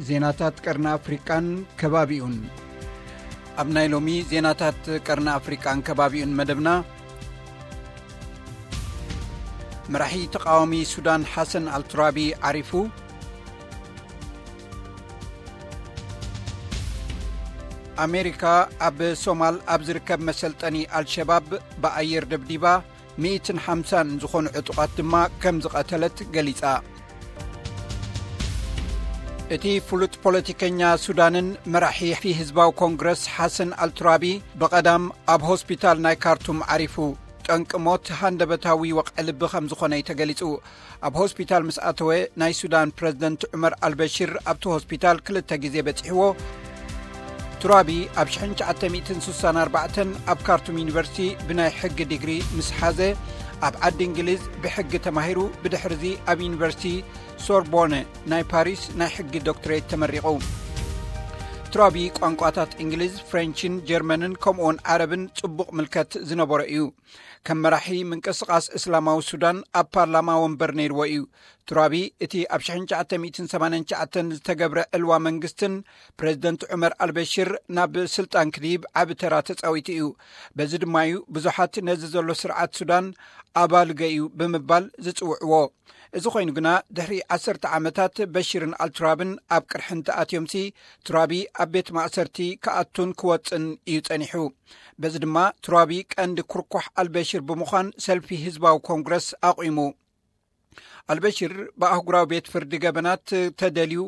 ዜናታት ቀርኒ ኣፍሪቃን ከባቢኡን። ኣብ ናይ ሎሚ ዜናታት ቀርኒ ኣፍሪቃን ከባቢኡን መደብና፣ መራሒ ተቓዋሚ ሱዳን ሓሰን ኣልቱራቢ ዓሪፉ። ኣሜሪካ ኣብ ሶማል ኣብ ዝርከብ መሰልጠኒ ኣልሸባብ ብኣየር ደብዲባ፣ ሚእትን ሓምሳን ዝኾኑ ዕጡቓት ድማ ከም ዝቐተለት ገሊጻ። እቲ ፍሉጥ ፖለቲከኛ ሱዳንን መራሒ ህዝባዊ ኮንግረስ ሓሰን ኣልቱራቢ ብቐዳም ኣብ ሆስፒታል ናይ ካርቱም ዓሪፉ። ጠንቂ ሞት ሃንደበታዊ ወቕዒ ልቢ ከም ዝኾነ እዩ ተገሊጹ። ኣብ ሆስፒታል ምስ ኣተወ፣ ናይ ሱዳን ፕረዚደንት ዑመር ኣልበሽር ኣብቲ ሆስፒታል ክልተ ግዜ በጺሕዎ። ቱራቢ ኣብ ሽሕን ትሽዓተ ሚእትን ስሳን ኣርባዕተን ኣብ ካርቱም ዩኒቨርሲቲ ብናይ ሕጊ ዲግሪ ምስ ሓዘ፣ ኣብ ዓዲ እንግሊዝ ብሕጊ ተማሂሩ፣ ብድሕርዚ ኣብ ዩኒቨርሲቲ ሶርቦነ ናይ ፓሪስ ናይ ሕጊ ዶክትሬት ተመሪቑ። ቱራቢ ቋንቋታት እንግሊዝ፣ ፍሬንችን ጀርመንን ከምኡውን ዓረብን ጽቡቕ ምልከት ዝነበሮ እዩ። ከም መራሒ ምንቅስቓስ እስላማዊ ሱዳን ኣብ ፓርላማ ወንበር ነይርዎ እዩ። ቱራቢ እቲ ኣብ ሽሕን ትሽዓተ ሚእትን ሰማንያን ትሽዓተን ዝተገብረ ዕልዋ መንግስትን ፕረዚደንት ዑመር ኣልበሽር ናብ ስልጣን ክድይብ ዓቢ ተራ ተጻዊቱ እዩ። በዚ ድማ እዩ ብዙሓት ነዚ ዘሎ ስርዓት ሱዳን ኣባልገ እዩ ብምባል ዝጽውዕዎ። እዚ ኮይኑ ግና፣ ድሕሪ ዓሰርተ ዓመታት በሽርን ኣልቱራብን ኣብ ቅርሕንቲ ኣትዮምሲ፣ ቱራቢ ኣብ ቤት ማእሰርቲ ክኣቱን ክወጽን እዩ ጸኒሑ። በዚ ድማ ቱራቢ ቀንዲ ኩርኳሕ ኣልበሽር ብምዃን ሰልፊ ህዝባዊ ኮንግረስ ኣቑሙ። ኣልበሽር ብኣህጉራዊ ቤት ፍርዲ ገበናት ተደልዩ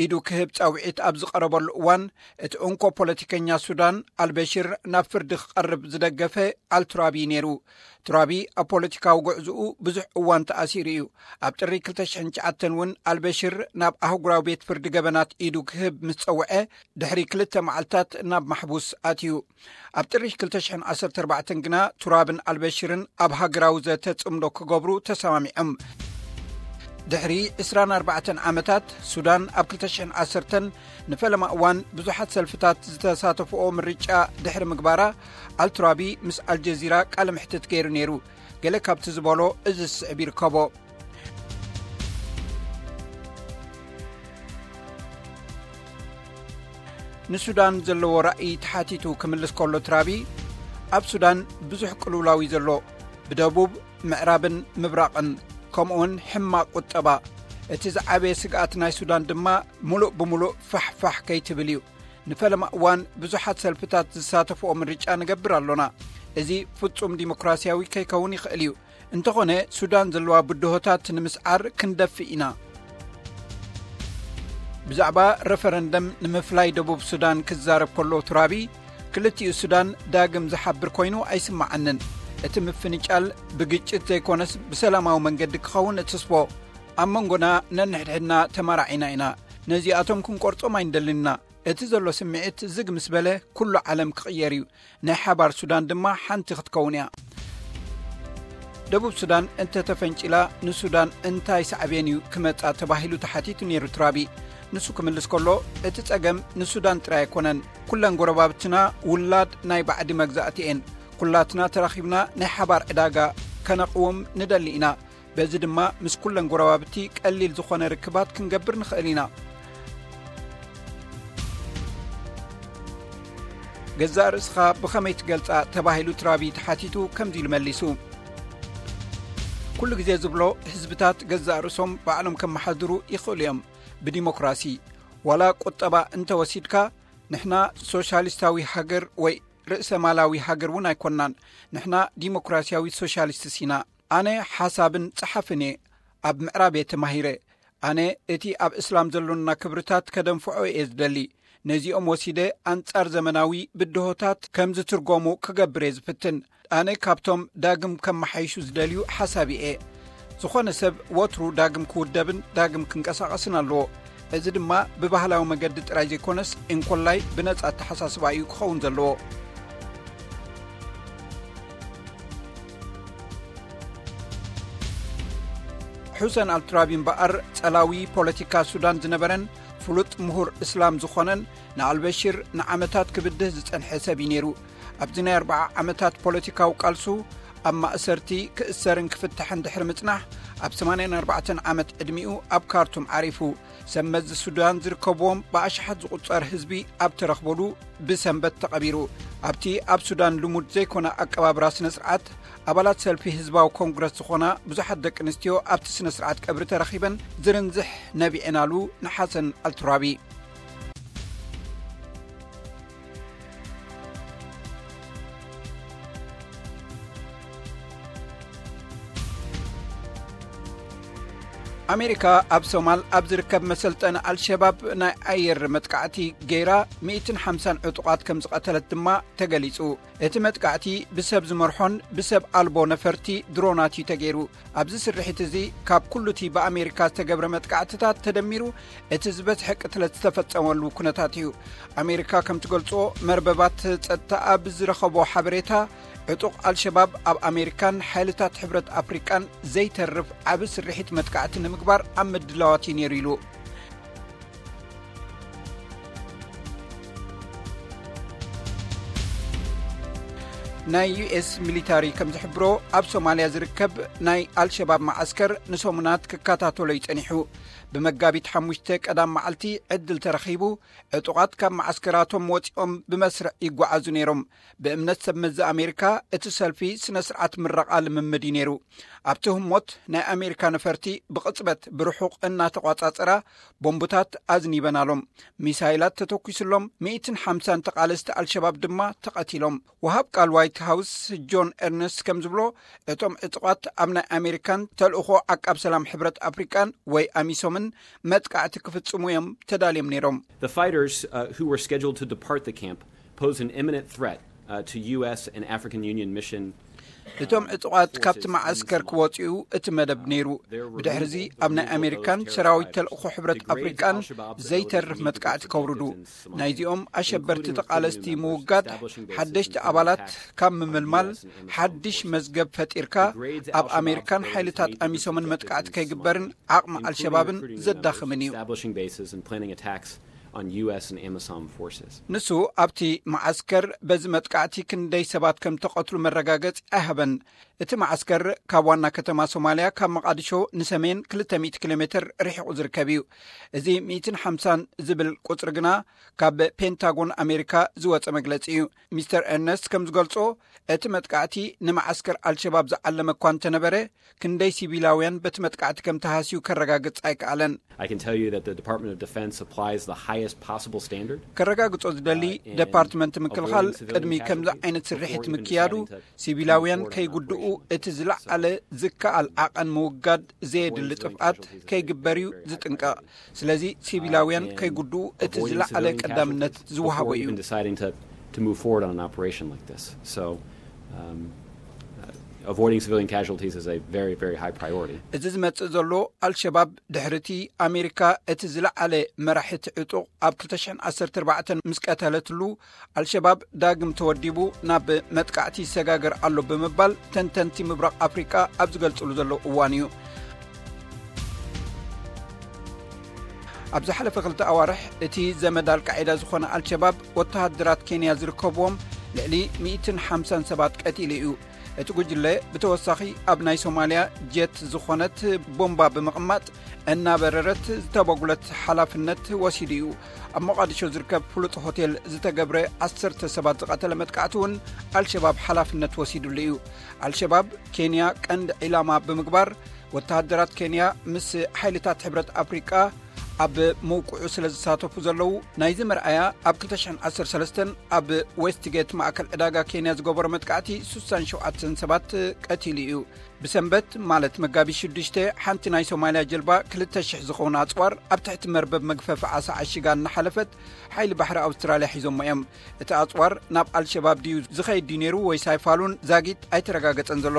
ኢዱ ክህብ ጻውዒት ኣብ ዝቐረበሉ እዋን፣ እቲ እንኮ ፖለቲከኛ ሱዳን ኣልበሽር ናብ ፍርዲ ክቐርብ ዝደገፈ ኣልቱራቢ ነይሩ። ቱራቢ ኣብ ፖለቲካዊ ጉዕዝኡ ብዙሕ እዋን ተኣሲሩ እዩ። ኣብ ጥሪ ክልተ ሽሕን ትሽዓተን እውን ኣልበሽር ናብ ኣህጉራዊ ቤት ፍርዲ ገበናት ኢዱ ክህብ ምስ ጸውዐ፣ ድሕሪ ክልተ መዓልታት ናብ ማሕቡስ ኣትዩ። ኣብ ጥሪ ክልተ ሽሕን ዓሰርተ ኣርባዕተን ግና፣ ቱራብን ኣልበሽርን ኣብ ሃገራዊ ዘተ ጽምዶ ክገብሩ ተሰማሚዖም። ድሕሪ ዕስራን ኣርባዕተን ዓመታት፣ ሱዳን ኣብ ክልተ ሽሕን ዓሰርተን ንፈለማ እዋን ብዙሓት ሰልፍታት ዝተሳተፍኦ ምርጫ ድሕሪ ምግባራ፣ ኣልቱራቢ ምስ ኣልጀዚራ ቃለ መሕትት ገይሩ ነይሩ። ገለ ካብቲ ዝበሎ እዚ ዝስዕብ ይርከቦ። ንሱዳን ዘለዎ ራእይ ተሓቲቱ ክምልስ ከሎ ቱራቢ፣ ኣብ ሱዳን ብዙሕ ቅልውላው እዩ ዘሎ፣ ብደቡብ፣ ምዕራብን ምብራቕን፣ ከምኡውን ሕማቕ ቁጠባ። እቲ ዝዓበየ ስግኣት ናይ ሱዳን ድማ፣ ምሉእ ብምሉእ ፋሕፋሕ ከይትብል እዩ። ንፈለማ እዋን ብዙሓት ሰልፍታት ዝሳተፍኦ ምርጫ ንገብር ኣሎና። እዚ ፍጹም ዲሞክራሲያዊ ከይከውን ይኽእል እዩ። እንተኾነ፣ ሱዳን ዘለዋ ብድሆታት ንምስዓር ክንደፍእ ኢና። ብዛዕባ ረፈረንደም ንምፍላይ ደቡብ ሱዳን ክዛረብ ከሎ ቱራቢ፣ ክልቲኡ ሱዳን ዳግም ዝሓብር ኮይኑ ኣይስምዓንን። እቲ ምፍንጫል ብግጭት ዘይኮነስ ብሰላማዊ መንገዲ ክኸውን እትስቦ። ኣብ መንጎና ነንሕድሕድና ተመራዒና ኢና። ነዚኣቶም ክንቆርጾም ኣይንደልን ኢና። እቲ ዘሎ ስምዒት ዝግ ምስ በለ፣ ኩሉ ዓለም ክቕየር እዩ። ናይ ሓባር ሱዳን ድማ ሓንቲ ክትከውን እያ። ደቡብ ሱዳን እንተተፈንጪላ፣ ንሱዳን እንታይ ሳዕቤን እዩ ክመጻ ተባሂሉ ተሓቲቱ ነይሩ ቱራቢ። ንሱ ክምልስ ከሎ፣ እቲ ጸገም ንሱዳን ጥራይ ኣይኮነን። ኩለን ጎረባብትና ውላድ ናይ ባዕዲ መግዛእቲ እየን። ኩላትና ተራኺብና ናይ ሓባር ዕዳጋ ከነቕውም ንደሊ ኢና። በዚ ድማ ምስ ኩለን ጎረባብቲ ቀሊል ዝኾነ ርክባት ክንገብር ንኽእል ኢና። ገዛእ ርእስኻ ብኸመይ ትገልጻ ተባሂሉ ቱራቢ ተሓቲቱ ከምዚ ኢሉ መሊሱ። ኩሉ ግዜ ዝብሎ፣ ህዝብታት ገዛእ ርእሶም ባዕሎም ከመሓድሩ ይኽእሉ እዮም። ብዲሞክራሲ፣ ዋላ ቁጠባ እንተወሲድካ፣ ንሕና ሶሻሊስታዊ ሃገር ወይ ርእሰ ማላዊ ሃገር እውን ኣይኮንናን። ንሕና ዲሞክራሲያዊ ሶሻሊስትስ ኢና። ኣነ ሓሳብን ጸሓፍን እየ። ኣብ ምዕራብ እየ ተማሂረ። ኣነ እቲ ኣብ እስላም ዘሎና ክብርታት ከደንፍዖ እየ ዝደሊ። ነዚኦም ወሲደ ኣንጻር ዘመናዊ ብድሆታት ከም ዝትርጎሙ ክገብር እየ ዝፍትን። ኣነ ካብቶም ዳግም ከመሓይሹ ዝደልዩ ሓሳቢ እየ። ዝኾነ ሰብ ወትሩ ዳግም ክውደብን ዳግም ክንቀሳቐስን ኣለዎ። እዚ ድማ ብባህላዊ መገዲ ጥራይ ዘይኮነስ፣ እንኮላይ ብነጻ ኣተሓሳስባ እዩ ክኸውን ዘለዎ። ሑሰን ኣልቱራቢ እምበኣር፣ ጸላዊ ፖለቲካ ሱዳን ዝነበረን ፍሉጥ ምሁር እስላም ዝኾነን፣ ንኣልበሽር ንዓመታት ክብድህ ዝጸንሐ ሰብ እዩ ነይሩ። ኣብዚ ናይ ኣርብዓ ዓመታት ፖለቲካዊ ቃልሱ፣ ኣብ ማእሰርቲ ክእሰርን ክፍታሕን ድሕሪ ምጽናሕ፣ ኣብ ሰማንያን ኣርባዕተን ዓመት ዕድሚኡ ኣብ ካርቱም ዓሪፉ። ሰብ መዚ ሱዳን ዝርከብዎም ብኣሽሓት ዝቑጸር ህዝቢ ኣብ ተረኽበሉ ብሰንበት ተቐቢሩ። ኣብቲ ኣብ ሱዳን ልሙድ ዘይኮነ ኣቀባብራ ስነ ስርዓት፣ ኣባላት ሰልፊ ህዝባዊ ኮንግረስ ዝኾና ብዙሓት ደቂ ኣንስትዮ ኣብቲ ስነ ስርዓት ቀብሪ ተረኺበን ዝርንዝሕ ነቢዐናሉ ንሓሰን ኣልትራቢ። ኣሜሪካ ኣብ ሶማል ኣብ ዝርከብ መሰልጠኒ ኣልሸባብ ናይ ኣየር መጥቃዕቲ ገይራ፣ ሚእትን ሓምሳን ዕጡቓት ከም ዝቐተለት ድማ ተገሊጹ። እቲ መጥቃዕቲ ብሰብ ዝመርሖን ብሰብ ኣልቦ ነፈርቲ ድሮናት እዩ ተገይሩ። ኣብዚ ስርሒት እዚ፣ ካብ ኩሉ እቲ ብኣሜሪካ ዝተገብረ መጥቃዕትታት ተደሚሩ፣ እቲ ዝበዝሐ ቅትለት ዝተፈጸመሉ ኩነታት እዩ። ኣሜሪካ ከም ትገልጾ፣ መርበባት ጸጥታ ኣብ ዝረኸቦ ሓበሬታ፣ ዕጡቕ ኣልሸባብ ኣብ ኣሜሪካን ሓይልታት ሕብረት ኣፍሪቃን ዘይተርፍ ዓቢ ስርሒት መጥቃዕቲ ንምግባር ኣብ ምድላዋት እዩ ነይሩ ኢሉ። ናይ ዩ ኤስ ሚሊታሪ ከም ዝሕብሮ፣ ኣብ ሶማልያ ዝርከብ ናይ ኣልሸባብ መዓስከር ንሰሙናት ክከታተሎ እዩ ጸኒሑ። ብመጋቢት ሓሙሽተ ቀዳም መዓልቲ ዕድል ተረኺቡ፣ ዕጡቓት ካብ መዓስከራቶም ወጺኦም ብመስርዕ ይጓዓዙ ነይሮም። ብእምነት ሰብ መዚ ኣሜሪካ፣ እቲ ሰልፊ ስነ ስርዓት ምረቓ ልምምድ እዩ ነይሩ። ኣብቲ ህሞት፣ ናይ ኣሜሪካ ነፈርቲ ብቕጽበት ብርሑቕ እናተቋጻጸራ ቦምቡታት ኣዝኒበናሎም። ሚሳይላት ተተኲስሎም፣ ሚእትን ሓምሳን ተቓለስቲ ኣልሸባብ ድማ ተቐቲሎም። ወሃብ ቃል ዋይት ሃውስ ጆን ኤርነስት ከም ዝብሎ፣ እቶም ዕጡቓት ኣብ ናይ ኣሜሪካን ተልእኾ ዓቃብ ሰላም ሕብረት ኣፍሪቃን ወይ ኣሚሶምን መጥቃዕቲ ክፍጽሙ እዮም ተዳልዮም ነይሮም። The fighters, uh, who were scheduled to depart the camp pose an imminent threat, uh, to U S and African Union mission. እቶም ዕጡቓት ካብቲ መዓስከር ክወጽኡ እቲ መደብ ነይሩ። ብድሕርዚ ኣብ ናይ ኣሜሪካን ሰራዊት ተልእኾ ሕብረት ኣፍሪቃን ዘይተርፍ መጥቃዕቲ ከውርዱ፣ ናይዚኦም ኣሸበርቲ ተቓለስቲ ምውጋድ፣ ሓደሽቲ ኣባላት ካብ ምምልማል፣ ሓድሽ መዝገብ ፈጢርካ ኣብ ኣሜሪካን ሓይልታት ኣሚሶምን መጥቃዕቲ ከይግበርን ዓቕሚ ኣልሸባብን ዘዳኽምን እዩ። Establishing bases and planning attacks on U S and AMISOM forces. ንሱ ኣብቲ መዓስከር በዚ መጥቃዕቲ ክንደይ ሰባት ከም ተቐትሉ መረጋገጺ ኣይሃበን። እቲ መዓስከር ካብ ዋና ከተማ ሶማልያ፣ ካብ መቓድሾ ንሰሜን ክልተ ሚእቲ ኪሎ ሜትር ርሒቑ ዝርከብ እዩ። እዚ ሚእትን ሓምሳን ዝብል ቁጽሪ ግና፣ ካብ ፔንታጎን ኣሜሪካ ዝወጸ መግለጺ እዩ። ሚስተር ኤርነስት ከም ዝገልጾ፣ እቲ መጥቃዕቲ ንመዓስከር ኣልሸባብ ዝዓለመ እኳ እንተነበረ፣ ክንደይ ሲቪላውያን በቲ መጥቃዕቲ ከም ተሃስዩ ከረጋግጽ ኣይከኣለን። I can tell you that the Department of Defense applies the highest possible standard. ከረጋግጾ ዝደሊ፣ uh, and ደፓርትመንት ምክልኻል avoiding civilian ቅድሚ ከምዚ casualties ዓይነት ስርሒት before even ምክያዱ፣ deciding to ሲቪላውያን ከይጉድኡ እቲ ዝለዓለ ዝከኣል ዓቐን ምውጋድ ዘየድሊ ጥፍኣት ከይግበር እዩ ዝጥንቀቕ። ስለዚ፣ ሲቪላውያን ከይጉድኡ እቲ ዝለዓለ ቀዳምነት ዝወሃቦ እዩ። Before even deciding to, to move forward on an operation like this. So, um, uh, avoiding civilian casualties is a very, very high priority. እዚ ዝመጽእ ዘሎ፣ ኣልሸባብ ድሕርቲ ኣሜሪካ እቲ ዝለዓለ መራሒ እቲ ዕጡቕ ኣብ ክልተ ሽሕን ዓሰርተ ኣርባዕተን ምስ ቀተለትሉ፣ ኣልሸባብ ዳግም ተወዲቡ ናብ መጥቃዕቲ ይሰጋገር ኣሎ ብምባል ተንተንቲ ምብራቕ ኣፍሪቃ ኣብ ዝገልጽሉ ዘለዉ እዋን እዩ። ኣብ ዝሓለፈ ክልተ ኣዋርሕ፣ እቲ ዘመድ ኣልቃዒዳ ዝኾነ ኣልሸባብ፣ ወተሃደራት ኬንያ ዝርከብዎም ልዕሊ ሚእትን ሓምሳን ሰባት ቀቲሉ እዩ። እቲ ጉጅለ ብተወሳኺ፣ ኣብ ናይ ሶማልያ ጀት ዝኾነት ቦምባ ብምቕማጥ፣ እናበረረት ዝተበጉለት ሓላፍነት ወሲዱ እዩ። ኣብ ሞቓዲሾ ዝርከብ ፍሉጥ ሆቴል ዝተገብረ፣ ዓሰርተ ሰባት ዝቐተለ መጥቃዕቲ እውን ኣልሸባብ ሓላፍነት ወሲዱሉ እዩ። ኣልሸባብ፣ ኬንያ ቀንዲ ዒላማ ብምግባር፣ ወተሃደራት ኬንያ ምስ ሓይልታት ሕብረት ኣፍሪቃ ኣብ መውቅዑ ስለ ዝሳተፉ ዘለዉ፣ ናይዚ መርኣያ ኣብ ክልተ ሽሕን ዓሰርተ ሰለስተን ኣብ ዌስትጌት ማእከል ዕዳጋ ኬንያ ዝገበሮ መጥቃዕቲ፣ ሱሳን ሸውዓተን ሰባት ቀቲሉ እዩ። ብሰንበት፣ ማለት መጋቢት ሽዱሽተ፣ ሓንቲ ናይ ሶማልያ ጀልባ ክልተ ሽሕ ዝኸውን ኣጽዋር ኣብ ትሕቲ መርበብ መግፈፊ ዓሳ ዓሺጋ እናሓለፈት፣ ሓይሊ ባሕሪ ኣውስትራልያ ሒዞሞ እዮም። እቲ ኣጽዋር ናብ ኣልሸባብ ድዩ ዝኸይድ ድዩ ነይሩ ወይስ ኣይፋሉን ዛጊት ኣይተረጋገጸን ዘሎ።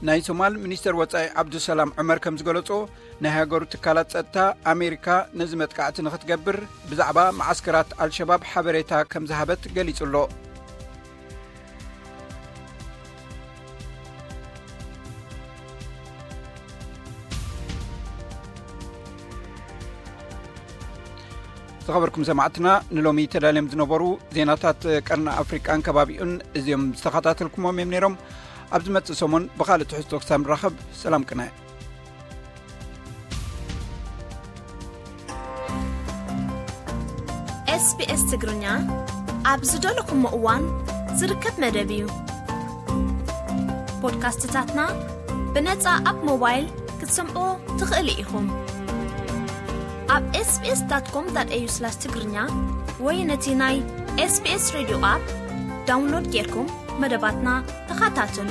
ናይ ሶማል ሚኒስተር ወጻኢ ዓብዱሰላም ዑመር ከም ዝገለጾ፣ ናይ ሃገሩ ትካላት ጸጥታ፣ ኣሜሪካ ነዚ መጥቃዕቲ ንኽትገብር ብዛዕባ መዓስከራት ኣልሸባብ ሓበሬታ ከም ዝሃበት ገሊጹ ኣሎ። ዝኸበርኩም ሰማዕትና፣ ንሎሚ ተዳልዮም ዝነበሩ ዜናታት ቀርኒ ኣፍሪቃን ከባቢኡን እዚኦም ዝተኸታተልኩሞም እዮም ነይሮም። ኣብ ዝመጽእ ሰሞን ብኻልእ ትሕዝቶ ክሳብ ንራኸብ፣ ሰላም ቅነ። SBS ትግርኛ ኣብ ዝደለኹሞ እዋን ዝርከብ መደብ እዩ። ፖድካስትታትና ብነጻ ኣብ ሞባይል ክትሰምዑ ትኽእሉ ኢኹም። ኣብ SBS.com.au/ትግርኛ ወይ ነቲ ናይ SBS ሬድዮ ኣፕ ዳውንሎድ ጌርኩም መደባትና ተኸታተሉ።